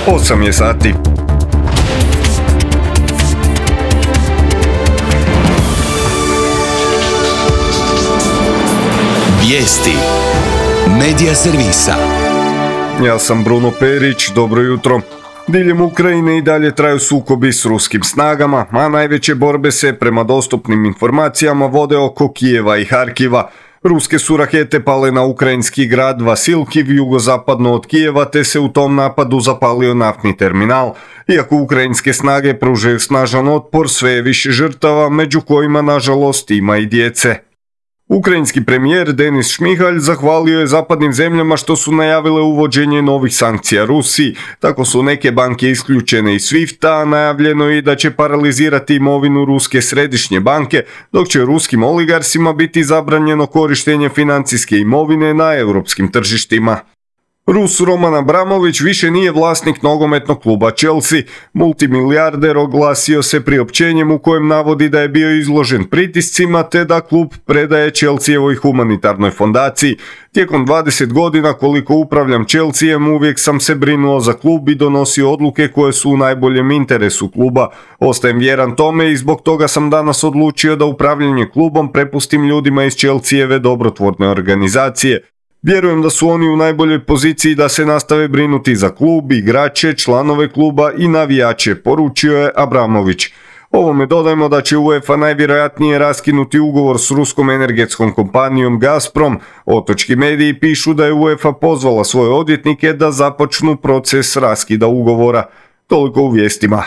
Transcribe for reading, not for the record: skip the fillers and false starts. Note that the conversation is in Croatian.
8 je sati. Vijesti Medija servisa. Ja sam Bruno Perić, dobro jutro. Diljem Ukrajine i dalje traju sukobi s ruskim snagama, a najveće borbe se prema dostupnim informacijama vode oko Kijeva i Harkiva. Ruske su rakete pale na ukrajinski grad Vasilkiv jugozapadno od Kijeva, te se u tom napadu zapalio naftni terminal. Iako ukrajinske snage pružaju snažan otpor, sve je više žrtava, među kojima nažalost ima i djece. Ukrajinski premijer Denis Šmihalj zahvalio je zapadnim zemljama što su najavile uvođenje novih sankcija Rusiji. Tako su neke banke isključene iz SWIFT-a, a najavljeno je i da će paralizirati imovinu Ruske središnje banke, dok će ruskim oligarsima biti zabranjeno korištenje financijske imovine na europskim tržištima. Rus Roman Abramović više nije vlasnik nogometnog kluba Chelsea. Multimilijarder oglasio se priopćenjem u kojem navodi da je bio izložen pritiscima te da klub predaje Chelseaevoj humanitarnoj fondaciji. Tijekom 20 godina koliko upravljam Chelseaem uvijek sam se brinuo za klub i donosio odluke koje su u najboljem interesu kluba. Ostajem vjeran tome i zbog toga sam danas odlučio da upravljanje klubom prepustim ljudima iz Chelseaeve dobrotvorne organizacije. Vjerujem da su oni u najboljoj poziciji da se nastave brinuti za klub, igrače, članove kluba i navijače, poručio je Abramović. Ovome dodajmo da će UEFA najvjerojatnije raskinuti ugovor s ruskom energetskom kompanijom Gazprom. Otočki mediji pišu da je UEFA pozvala svoje odvjetnike da započnu proces raskida ugovora. Toliko u vijestima.